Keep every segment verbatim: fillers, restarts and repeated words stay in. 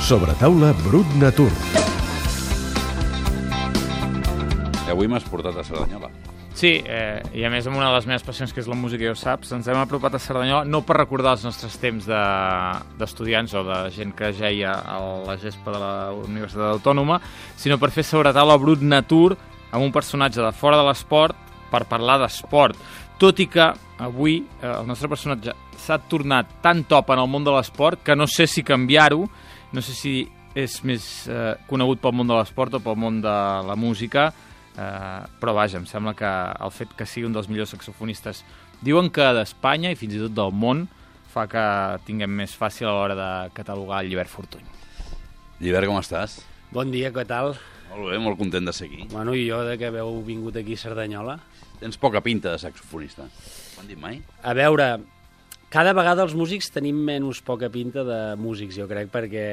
Sobretaula Brut Natur. I avui m'has portat a Cerdanyola. Sí, eh, i a més amb una de les meves passions, que és la música, ja ho saps, ens hem apropat a Cerdanyola, no per recordar els nostres temps d'estudiants de, o de gent que jeia a la gespa de la Universitat Autònoma, sinó per fer sobretaula Brut Natur amb un personatge de fora de l'esport per parlar d'esport. Tot i que avui eh, el nostre personatge s'ha tornat tan top en el món de l'esport que no sé si canviar-ho, no sé si és més eh, conegut pel món de l'esport o pel món de la música, Uh, però vaja, em sembla que el fet que sigui un dels millors saxofonistes, diuen que d'Espanya i fins i tot del món, fa que tinguem més fàcil a l'hora de catalogar el Llibert Fortuny. Llibert, com estàs? Bon dia, què tal? Molt bé, molt content de ser aquí. Bueno, i jo de que haveu vingut aquí a Cerdanyola. Tens poca pinta de saxofonista. Ho han dit mai? A veure, cada vegada els músics tenim menys poca pinta de músics, jo crec, perquè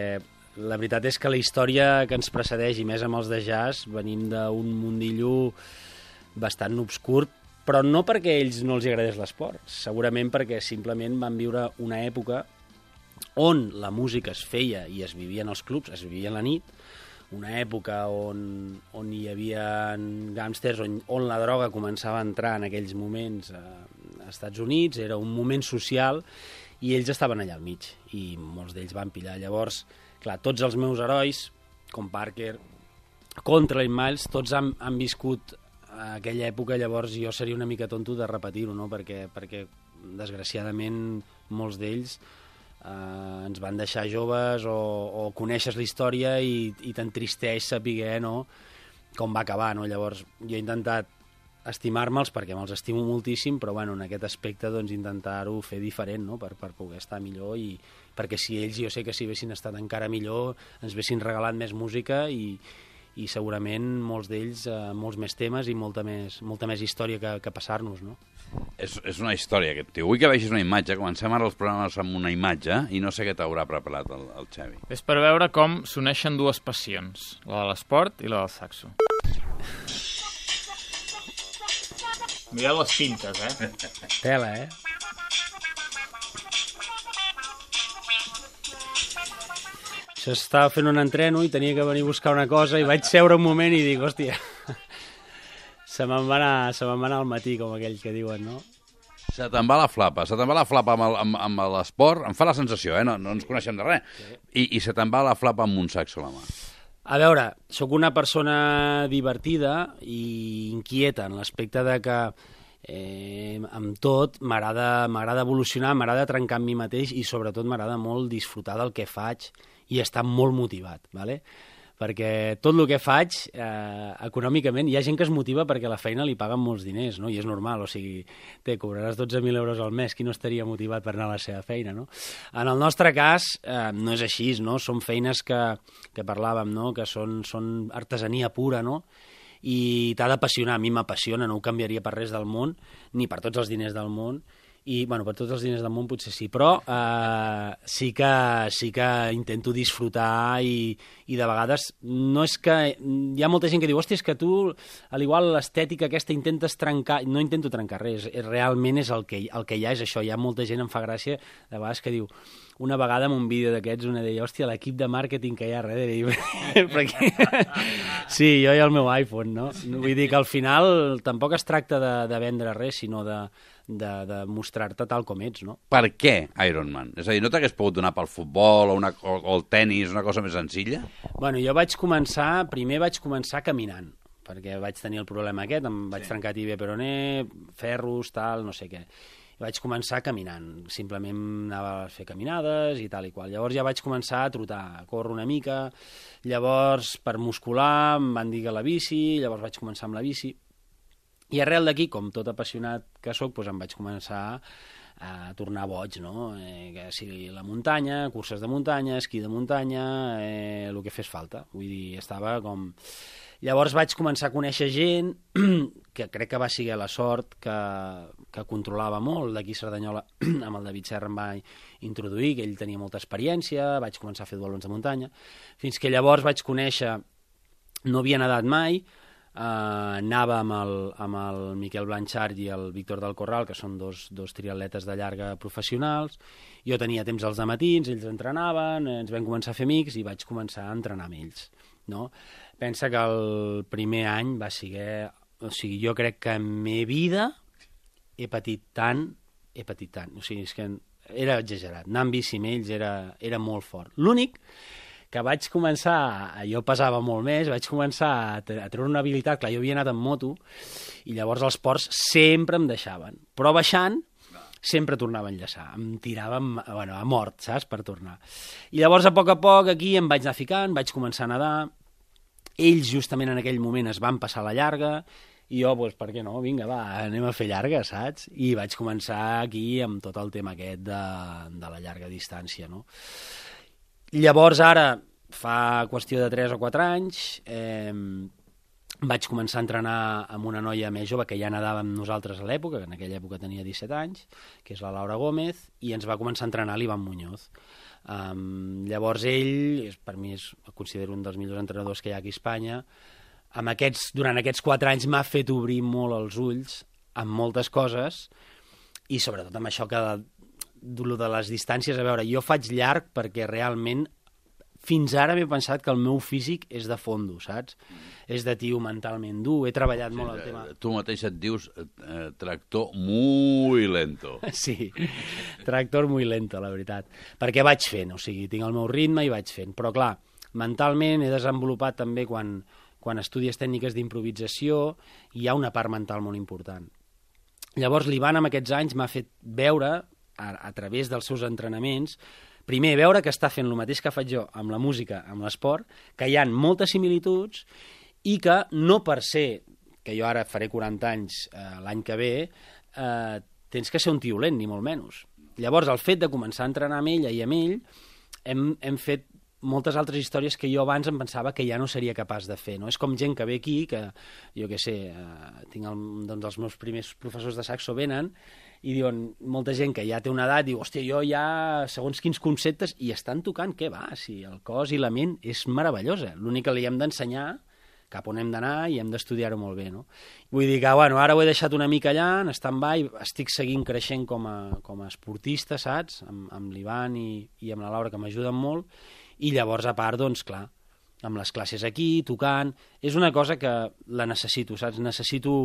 la veritat és que la història que ens precedeix, i més amb els de jazz, venim d'un mundillo bastant obscur, però no perquè a ells no els agradés l'esport, segurament perquè simplement van viure una època on la música es feia i es vivia en els clubs, es vivia a la nit, una època on, on hi havia gàngsters, on, on la droga començava a entrar en aquells moments a, als Estats Units, era un moment social i ells estaven allà al mig i molts d'ells van pillar. Llavors, clar, tots els meus herois, com Parker, Contrail, Miles, tots han, han viscut aquella època, llavors jo seria una mica tonto de repetir-ho, no? perquè, perquè desgraciadament molts d'ells eh, ens van deixar joves o, o coneixes la història i, i t'entristeix saber, no?, com va acabar. No? Llavors jo he intentat estimar-me'ls perquè me'ls estimo moltíssim, però bueno, en aquest aspecte doncs, intentar-ho fer diferent, no? per, per poder estar millor, i perquè si ells, jo sé que si haguessin estat encara millor ens haguessin regalat més música i, i segurament molts d'ells eh, molts més temes i molta més, molta més història que, que passar-nos, no? És, és una història, aquest tio. Vull que vegis una imatge. Comencem ara els programes amb una imatge i no sé què t'haurà preparat el, el Xavi. És per veure com s'uneixen dues passions, la de l'esport i la del saxo. Mireu les pintes, eh? Tela, eh? Això estava fent un entreno i tenia que venir a buscar una cosa i vaig seure un moment i dic, hòstia, se me'n va anar, se me'n va anar al matí, com aquell que diuen, no? Se te'n va la flapa, se te'n va la flapa amb, el, amb, amb l'esport, em fa la sensació, eh? No, no ens coneixem de res, sí. I, i se te'n va la flapa amb un saxo a la mà. A veure, sóc una persona divertida i inquieta en l'aspecte de que eh, amb tot m'agrada m'agrada evolucionar, m'agrada trencar amb mi mateix i sobretot m'agrada molt disfrutar del que faig i estar molt motivat, ¿vale? Perquè tot el que faig, eh, econòmicament, hi ha gent que es motiva perquè a la feina li paguen molts diners, no? I és normal, o sigui, te cobraràs dotze mil euros al mes, qui no estaria motivat per anar a la seva feina, no? En el nostre cas, eh, no és així, no? Són feines que, que parlàvem, no? Que són, són artesania pura, no? I t'ha d'apassionar, a mi m'apassiona, no ho canviaria per res del món, ni per tots els diners del món, i, bueno, per tots els diners del món potser sí, però eh, sí, que, sí que intento disfrutar i, i de vegades no és que... Hi ha molta gent que diu, hòstia, és que tu, al igual l'estètica aquesta intentes trencar... No intento trencar res, realment és el que, el que hi ha, és això. Hi ha molta gent, em fa gràcia, de vegades que diu... Una vegada en un vídeo d'aquests una deia, hòstia, l'equip de màrqueting que hi ha darrere. Perquè... Sí, jo i el meu iPhone, no? Vull dir que al final tampoc es tracta de, de vendre res, sinó de, de, de mostrar-te tal com ets, no? Per què Ironman? És a dir, no t'hagués pogut donar pel futbol o, una, o, o el tennis, una cosa més senzilla? Bueno, jo vaig començar, primer vaig començar caminant, perquè vaig tenir el problema aquest, em vaig sí. trencar tibia peroné, ferros, tal, no sé què. I vaig començar caminant, simplement anava a fer caminades i tal i qual. Llavors ja vaig començar a trotar, a córrer una mica, llavors per muscular em van dir que la bici, llavors vaig començar amb la bici, i arrel d'aquí, com tot apassionat que sóc, doncs em vaig començar a tornar boig, no? Eh, que sigui la muntanya, curses de muntanya, esquí de muntanya, eh, el que fes falta. Vull dir, estava com... Llavors vaig començar a conèixer gent que crec que va ser la sort que, que controlava molt d'aquí a Cerdanyola, amb el David Serra em va introduir, que ell tenia molta experiència, vaig començar a fer duatlons de muntanya, fins que llavors vaig conèixer, no havia nedat mai, anava amb el, amb el Miquel Blanchard i el Víctor del Corral, que són dos, dos triatletes de llarga professionals. Jo tenia temps als dematins, ells entrenaven, ens vam començar a fer amics i vaig començar a entrenar amb ells. No? Pensa que el primer any va ser... O sigui, jo crec que en meva vida he patit tant, he patit tant. O sigui, és que era exagerat. Anar amb bici amb ells era, era molt fort. L'únic que vaig començar, jo pesava molt més, vaig començar a, a treure una habilitat, clar, jo havia anat en moto, i llavors els ports sempre em deixaven. Però baixant, sempre tornava a enllaçar. Em tirava bueno, a mort, saps?, per tornar. I llavors, a poc a poc, aquí em vaig anar ficant, vaig començar a nedar. Ells, justament en aquell moment, es van passar la llarga, i jo, doncs, per què no? Vinga, va, anem a fer llarga, saps? I vaig començar aquí amb tot el tema aquest de, de la llarga distància, no? Llavors, ara, fa qüestió de tres o quatre anys, eh, vaig començar a entrenar amb una noia més jove que ja nedava amb nosaltres a l'època, que en aquella època tenia disset anys, que és la Laura Gómez, i ens va començar a entrenar l'Ivan Muñoz. Um, llavors ell, per mi és, el considero un dels millors entrenadors que hi ha aquí a Espanya. Amb aquests, durant aquests quatre anys m'ha fet obrir molt els ulls amb moltes coses, i sobretot amb això que de, de les distàncies, a veure, jo faig llarg perquè realment fins ara m'he pensat que el meu físic és de fondo, saps? Mm. És de tio mentalment dur, he treballat sí, molt el tema... Tu mateix et dius eh, tractor muy lento. Sí, tractor muy lento, la veritat. Perquè vaig fent, o sigui, tinc el meu ritme i vaig fent. Però clar, mentalment he desenvolupat també quan... quan estudies tècniques d'improvisació, hi ha una part mental molt important. Llavors, l'Ivan, amb aquests anys, m'ha fet veure, a, a través dels seus entrenaments, primer, veure que està fent el mateix que faig jo amb la música, amb l'esport, que hi ha moltes similituds i que no per ser, que jo ara faré quaranta anys eh, l'any que ve, eh, tens que ser un tiolent, ni molt menys. Llavors, el fet de començar a entrenar amb ella i amb ell, hem, hem fet moltes altres històries que jo abans em pensava que ja no seria capaç de fer, no? És com gent que ve aquí, que jo què sé, eh, tinc el, doncs els meus primers professors de saxo venen i diuen, molta gent que ja té una edat, diu, hòstia, jo ja, segons quins conceptes, i estan tocant, què va? Si el cos i la ment és meravellosa. L'únic que li hem d'ensenyar cap on hem d'anar i hem d'estudiar-ho molt bé, no? Vull dir que, bueno, ara ho he deixat una mica allà, en stand-by, estic seguint creixent com a, com a esportista, saps? Amb, amb l'Ivan i, i amb la Laura, que m'ajuden molt. I llavors, a part, doncs, clar, amb les classes aquí, tocant... És una cosa que la necessito, saps? Necessito...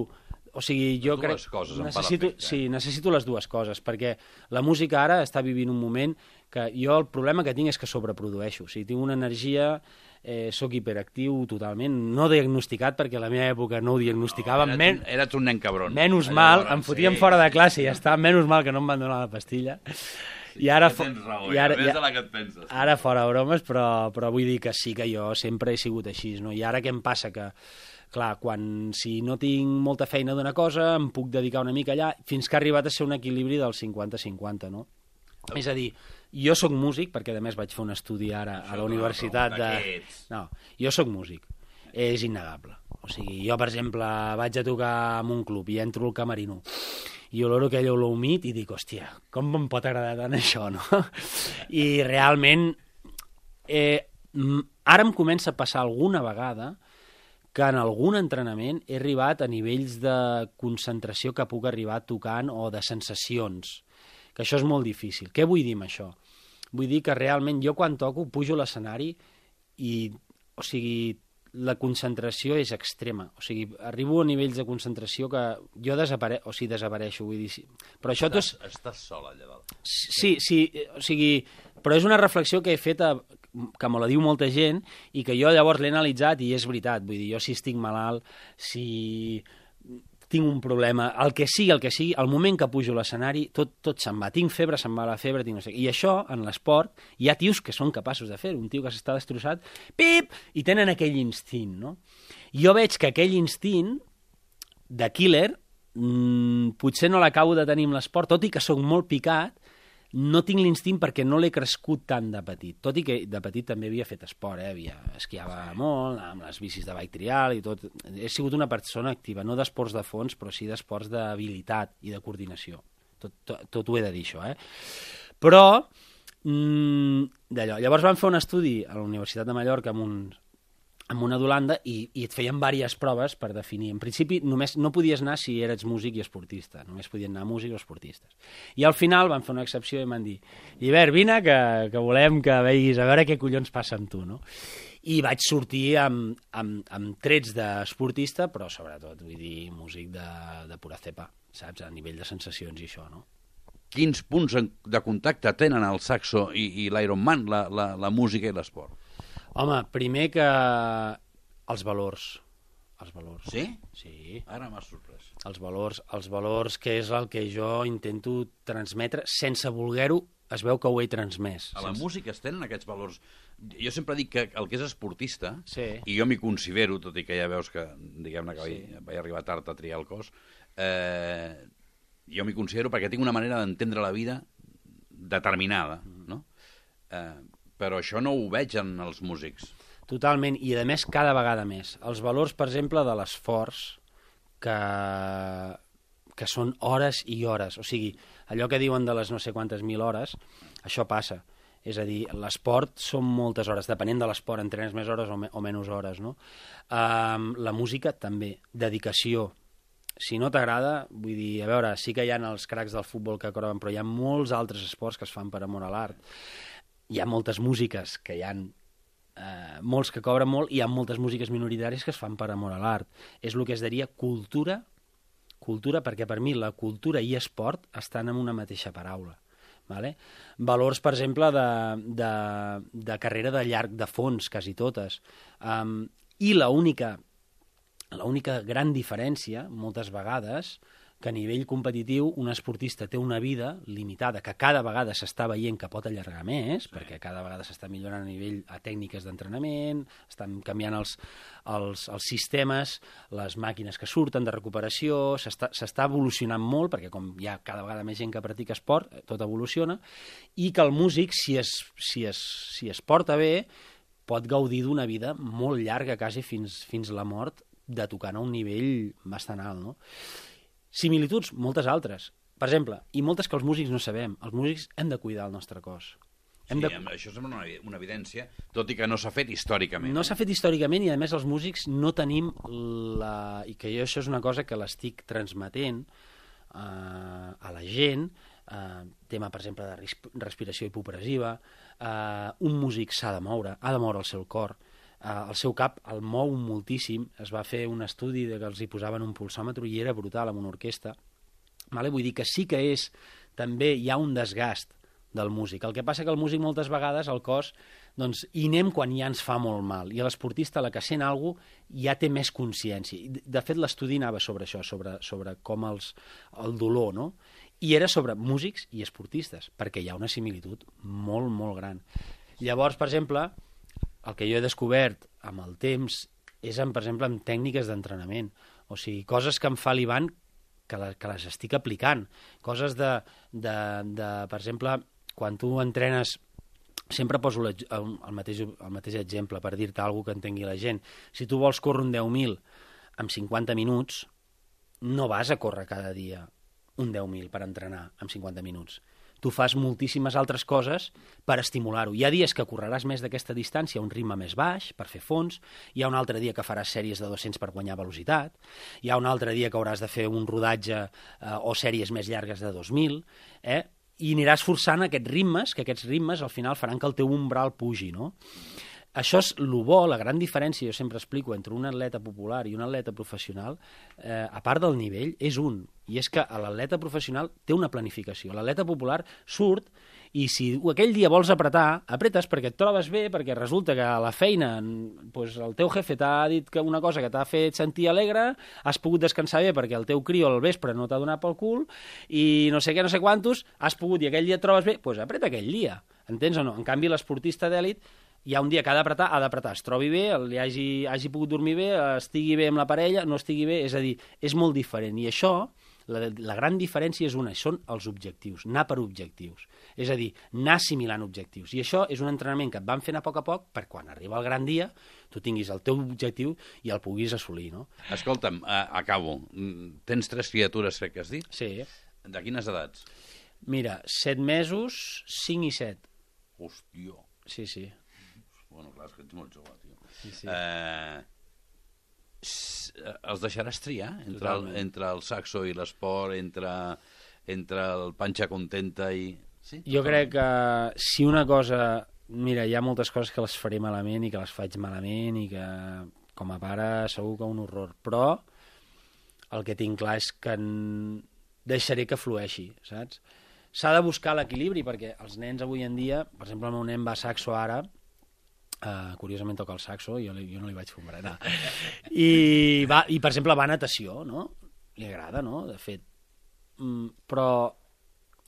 O sigui, jo les crec... dues coses em necessito, fa l'efecte. Sí, necessito les dues coses, perquè la música ara està vivint un moment que jo el problema que tinc és que sobreprodueixo. O sigui, tinc una energia... Eh, soc hiperactiu totalment, no diagnosticat, perquè a la meva època no ho diagnosticava. No, eres, men... un, eres un nen cabron. Menys Allà mal, llavors, em fotien sí. fora de classe i ja està, menys mal que no em van donar la pastilla. I ara, ja tens raó, i ara, ja, ja, de la que et penses. ara fora bromes, però, però vull dir que sí que jo sempre he sigut així, no? I ara què em passa? Que, clar, quan si no tinc molta feina d'una cosa, em puc dedicar una mica allà, fins que ha arribat a ser un equilibri del cinquanta cinquanta, no? És a dir, jo sóc músic, perquè a més vaig fer un estudi ara a la universitat de... No, jo sóc músic, és innegable. O sigui, jo, per exemple, vaig a tocar en un club i entro al camerino i oloro aquell olor humit i dic, hòstia, com em pot agradar tant això, no? I realment, eh, ara em comença a passar alguna vegada que en algun entrenament he arribat a nivells de concentració que puc arribar tocant o de sensacions, que això és molt difícil. Què vull dir amb això? Vull dir que realment jo quan toco pujo a l'escenari i, o sigui, la concentració és extrema. O sigui, arribo a nivells de concentració que jo desapare... o sigui, desapareixo, vull dir... Però això estàs, és... estàs sol allà dalt. Sí, sí, o sigui... Però és una reflexió que he fet, a... que me la diu molta gent, i que jo llavors l'he analitzat i és veritat. Vull dir, jo si estic malalt, si... tinc un problema, el que sigui, el que sigui, al moment que pujo a l'escenari, tot, tot se'n va. Tinc febre, se'n va la febre, tinc no sé què. I això, en l'esport, hi ha tios que són capaços de fer-ho. Un tio que s'està destrossat, pip, i tenen aquell instint, no? Jo veig que aquell instint de killer mmm, potser no l'acabo de tenir amb l'esport, tot i que sóc molt picat, no tinc l'instint perquè no l'he crescut tant de petit. Tot i que de petit també havia fet esport, eh? Havia esquiava molt, amb les bicis de bike trial i tot. He sigut una persona activa, no d'esports de fons, però sí d'esports d'habilitat i de coordinació. Tot, tot, tot ho he de dir, això, eh? Però, mmm, d'allò. Llavors vam fer un estudi a la Universitat de Mallorca amb uns, amb una d'Holanda i, i et feien diverses proves per definir. En principi, només no podies anar si eres músic i esportista. Només podien anar músics o esportistes. I al final van fer una excepció i van dir Llibert, vine, que, que volem que veguis a veure què collons passa amb tu, no? I vaig sortir amb, amb, amb trets d'esportista, però sobretot, vull dir, músic de, de pura cepa, saps? A nivell de sensacions i això, no? Quins punts de contacte tenen el saxo i, i l'Ironman, la, la, la música i l'esport? Home, primer que els valors. Els valors. Sí? Sí. Ara m'has sorprès. Els valors, els valors, que és el que jo intento transmetre, sense voler-ho, es veu que ho he transmès. A la sense... música es tenen aquests valors. Jo sempre dic que el que és esportista, sí. i jo m'hi considero, tot i que ja veus que, diguem-ne, que sí. vaig, vaig arribar tard a triar el cos, eh, jo m'hi considero perquè tinc una manera d'entendre la vida determinada, no? Eh, però això no ho veig en els músics. Totalment, i a més cada vegada més. Els valors, per exemple, de l'esforç, que, que són hores i hores. O sigui, allò que diuen de les no sé quantes mil hores, això passa. És a dir, l'esport són moltes hores, depenent de l'esport, entrenes més hores o, me, o menys hores, no? Um, la música també, dedicació. Si no t'agrada, vull dir, a veure, sí que hi ha els cracs del futbol que coroben, però hi ha molts altres esports que es fan per amor a l'art. Hi ha moltes músiques que hi ha eh, molts que cobren molt i hi ha moltes músiques minoritàries que es fan per amor a l'art. És el que es diria cultura, cultura perquè per mi la cultura i esport estan en una mateixa paraula. Vale? Valors, per exemple, de, de, de carrera de llarg de fons, quasi totes. Um, I l'única l'única gran diferència, moltes vegades, que a nivell competitiu un esportista té una vida limitada, que cada vegada s'està veient que pot allargar més, sí. perquè cada vegada s'està millorant a nivell a tècniques d'entrenament, estan canviant els, els, els sistemes, les màquines que surten de recuperació, s'està evolucionant molt, perquè com hi ha cada vegada més gent que practica esport, tot evoluciona, i que el músic, si es, si es, si es porta bé, pot gaudir d'una vida molt llarga, quasi fins, fins la mort, de tocant a un nivell bastant alt, no? Similituds, moltes altres. Per exemple, i moltes que els músics no sabem. Els músics hem de cuidar el nostre cos. Hem sí, de... això sembla una, una evidència, tot i que no s'ha fet històricament. No s'ha fet històricament i, a més, els músics no tenim la... I que jo això és una cosa que l'estic transmetent eh, a la gent, eh, tema, per exemple, de respiració hipopressiva, eh, un músic s'ha de moure, ha de moure el seu cor, Uh, el seu cap el mou moltíssim. Es va fer un estudi de que els hi posaven un pulsòmetre i era brutal amb una orquestra. Vale? Vull dir que sí que és, també hi ha un desgast del músic. El que passa que el músic moltes vegades, el cos, doncs, hi anem quan ja ens fa molt mal. I l'esportista, la que sent alguna cosa, ja té més consciència. De fet, l'estudi anava sobre això, sobre, sobre com els, el dolor, no? I era sobre músics i esportistes, perquè hi ha una similitud molt, molt gran. Llavors, per exemple, el que jo he descobert amb el temps és, en, per exemple, amb tècniques d'entrenament. O sigui, coses que em fa l'Ivan que, la, que les estic aplicant. Coses de, de, de, per exemple, quan tu entrenes, sempre poso el, el, mateix, el mateix exemple per dir-te alguna que entengui la gent. Si tu vols córrer un deu mil en cinquanta minuts, no vas a córrer cada dia un deu mil per entrenar en cinquanta minuts. Tu fas moltíssimes altres coses per estimular-ho. Hi ha dies que correràs més d'aquesta distància a un ritme més baix, per fer fons, hi ha un altre dia que faràs sèries de dos-cents per guanyar velocitat, hi ha un altre dia que hauràs de fer un rodatge eh, o sèries més llargues de dos mil, eh? I aniràs forçant aquests ritmes, que aquests ritmes al final faran que el teu umbral pugi, no? Això és el bo, la gran diferència, jo sempre explico, entre un atleta popular i un atleta professional, eh, a part del nivell, és un. I és que l'atleta professional té una planificació. L'atleta popular surt i si aquell dia vols apretar, apretes perquè et trobes bé, perquè resulta que a la feina doncs, el teu jefe t'ha dit que una cosa que t'ha fet sentir alegre, has pogut descansar bé perquè el teu crio al vespre no t'ha donat pel cul i no sé què, no sé quantos, has pogut i aquell dia et trobes bé, doncs apreta aquell dia. Entens o no? En canvi, l'esportista d'èlit hi ha un dia que ha d'apretar, ha d'apretar, es trobi bé, li hagi, hagi pogut dormir bé, estigui bé amb la parella, no estigui bé, és a dir, és molt diferent. I això, la, la gran diferència és una, són els objectius, anar per objectius. És a dir, anar assimilant objectius. I això és un entrenament que et van fent a poc a poc per quan arriba el gran dia tu tinguis el teu objectiu i el puguis assolir, no? Escolta'm, uh, acabo. Tens tres criatures, crec que has dit? Sí. De quines edats? Mira, set mesos, cinc i set. Hòstia. Sí, sí. Bueno, clar, és que ets molt jove, tio. Sí, sí. Eh, els deixaràs triar entre el, entre el saxo i l'esport, entre, entre el panxa contenta i... Sí? Jo crec que si una cosa... Mira, hi ha moltes coses que les faré malament i que les faig malament i que com a pare segur que un horror, però el que tinc clar és que en... deixaré que flueixi, saps? S'ha de buscar l'equilibri perquè els nens avui en dia, per exemple el meu nen va a saxo ara, uh, curiosament toca el saxo, jo, li, jo no li vaig fer un berenar, I, va, i per exemple va a natació, no? Li agrada, no? De fet, mm, però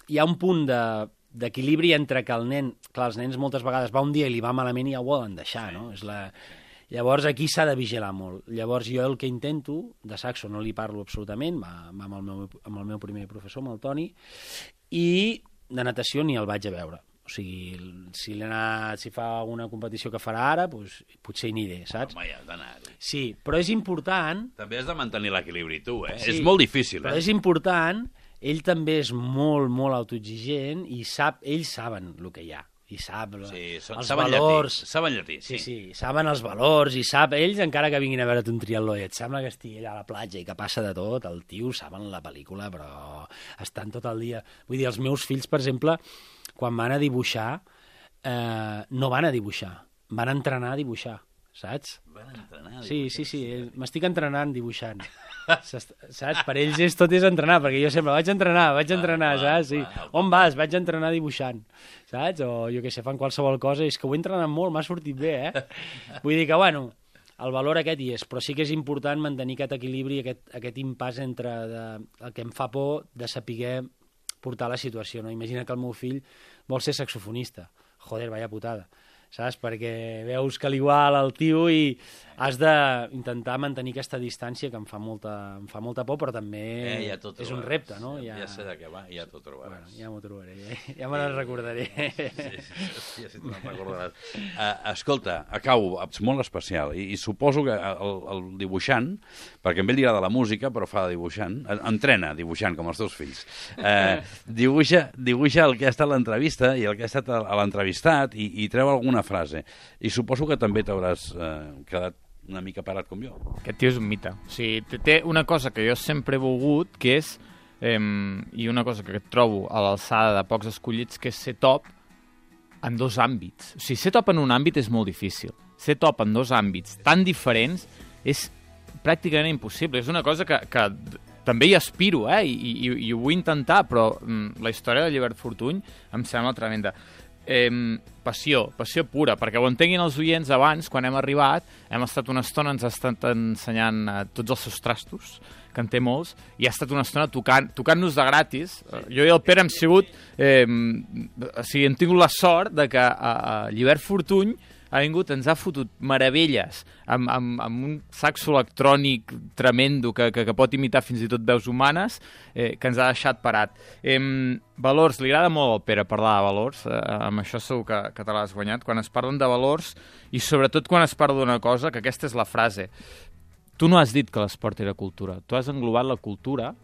hi ha un punt de d'equilibri entre que el nen... Clar, els nens moltes vegades va un dia i li va malament i ja ho volen deixar, no? És la... Llavors aquí s'ha de vigilar molt. Llavors jo el que intento, de saxo no li parlo absolutament, va, va amb, el meu, amb el meu primer professor, amb el Toni, i de natació ni el vaig a veure. O sigui, si, anat, si fa alguna competició que farà ara, doncs, potser hi aniré, saps? Home, ja has d'anar-hi. Sí, però és important... També has de mantenir l'equilibri tu, eh? Sí, és molt difícil, eh? Però és important... Ell també és molt, molt autoexigent i sap, ells saben el que hi ha. I sap sí, són, els saben valors. Llatí, saben llatí, sí. Sí, sí, saben els valors i sap, ells encara que vinguin a veure't un triatló i et sembla que estigui allà a la platja i que passa de tot, el tio saben la pel·lícula, però estan tot el dia... Vull dir, els meus fills, per exemple, quan van a dibuixar, eh, no van a dibuixar, van a entrenar a dibuixar, saps? Van entrenar a dibuixar. Sí, sí, sí, m'estic entrenant dibuixant. Saps? Per ells és, tot és entrenar, perquè jo sempre vaig entrenar, vaig entrenar, va, saps? Sí. Va, va, on vas? Vaig entrenar dibuixant, saps? O jo què sé, fan qualsevol cosa, és que ho he entrenat molt, m'ha sortit bé, eh? Vull dir que, bueno, el valor aquest hi és, però sí que és important mantenir aquest equilibri, aquest, aquest impàs entre de, el que em fa por de saber portar la situació, no? Imagina que el meu fill vol ser saxofonista. Joder, vaya putada. Saps? Perquè veus que l'igual el tio i has d'intentar mantenir aquesta distància que em fa molta, em fa molta por, però també eh, ja és un repte, no? Ja, ja sé de què va, ja t'ho trobaràs. Bueno, ja m'ho trobaré, ja, ja me n'en recordaré. Sí, sí, sí, sí, te'n recordaràs. Uh, escolta, acabo, és molt especial, i, i suposo que el, el dibuixant, perquè a ell li agrada la música, però fa de dibuixant, entrena dibuixant, com els teus fills, uh, dibuixa, dibuixa el que ha estat l'entrevista i el que ha estat a l'entrevistat i, i treu alguna frase. I suposo que també t'hauràs eh, quedat una mica parat com jo. Aquest tio és un mite. O sigui, té una cosa que jo sempre he volgut, que és, eh, i una cosa que trobo a l'alçada de pocs escollits, que és ser top en dos àmbits. O sigui, ser top en un àmbit és molt difícil. Ser top en dos àmbits tan diferents és pràcticament impossible. És una cosa que, que també hi aspiro, eh? I, i, i ho vull intentar, però mm, la història de Llibert Fortuny em sembla tremenda. Eh, passió, passió pura, perquè ho entenguin els oients abans, quan hem arribat, hem estat una estona, ens ha estat ensenyant eh, tots els seus trastos, que en té molts, i ha estat una estona tocant, tocant-nos de gratis. Sí. Jo i el Pere hem sigut, eh, o sigui, hem tingut la sort de que a, a Llibert Fortuny ha vingut, ens ha fotut meravelles amb, amb, amb un saxo electrònic tremendo que, que, que pot imitar fins i tot veus humanes, eh, que ens ha deixat parat. Eh, valors, li agrada molt al Pere parlar de valors, eh, amb això segur que, que te l'has guanyat, quan es parlen de valors i sobretot quan es parla d'una cosa, que aquesta és la frase. Tu no has dit que l'esport era cultura, tu has englobat la cultura,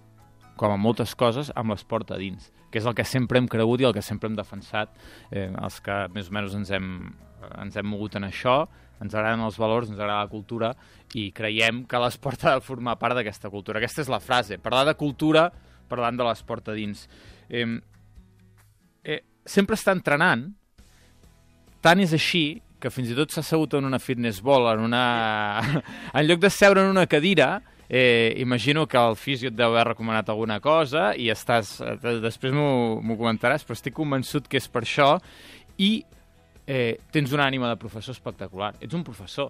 com a moltes coses, amb l'esport a dins, que és el que sempre hem cregut i el que sempre hem defensat, eh, els que més o menys ens hem ens hem mogut en això, ens agraden els valors, ens agrada la cultura i creiem que l'esport ha de formar part d'aquesta cultura. Aquesta és la frase, parlar de cultura parlant de l'esport a dins. Eh, eh, sempre està entrenant, tant és així que fins i tot s'ha assegut en una fitness ball, en, una... en lloc de seure en una cadira, eh, imagino que el fisio et deu haver recomanat alguna cosa i estàs... després m'ho comentaràs, però estic convençut que és per això i Eh, tens una ànima de professor espectacular. Ets un professor,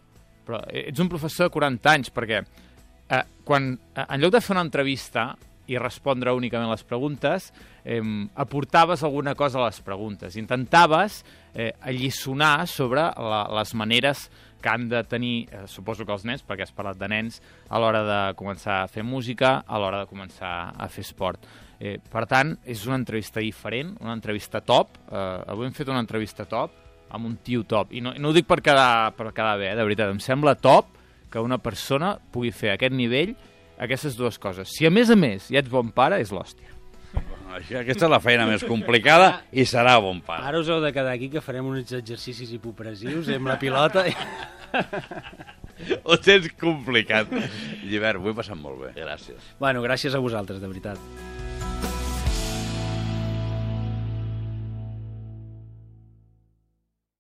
però ets un professor de quaranta anys, perquè eh, quan, eh, en lloc de fer una entrevista i respondre únicament les preguntes, eh, aportaves alguna cosa a les preguntes. Intentaves eh, alliçonar sobre la, les maneres que han de tenir, eh, suposo que els nens, perquè has parlat de nens, a l'hora de començar a fer música, a l'hora de començar a fer esport. Eh, per tant, és una entrevista diferent, una entrevista top. Eh, avui hem fet una entrevista top, amb un tio top. I no, no ho dic per quedar, per quedar bé, eh? De veritat. Em sembla top que una persona pugui fer a aquest nivell aquestes dues coses. Si a més a més ja ets bon pare, és l'hòstia. Això, aquesta és la feina més complicada i serà bon pare. Ara us heu de quedar aquí, que farem uns exercicis hipopressius amb la pilota. Ho tens complicat. Llibert, ho he passat molt bé. Gràcies. Bueno, gràcies a vosaltres, de veritat.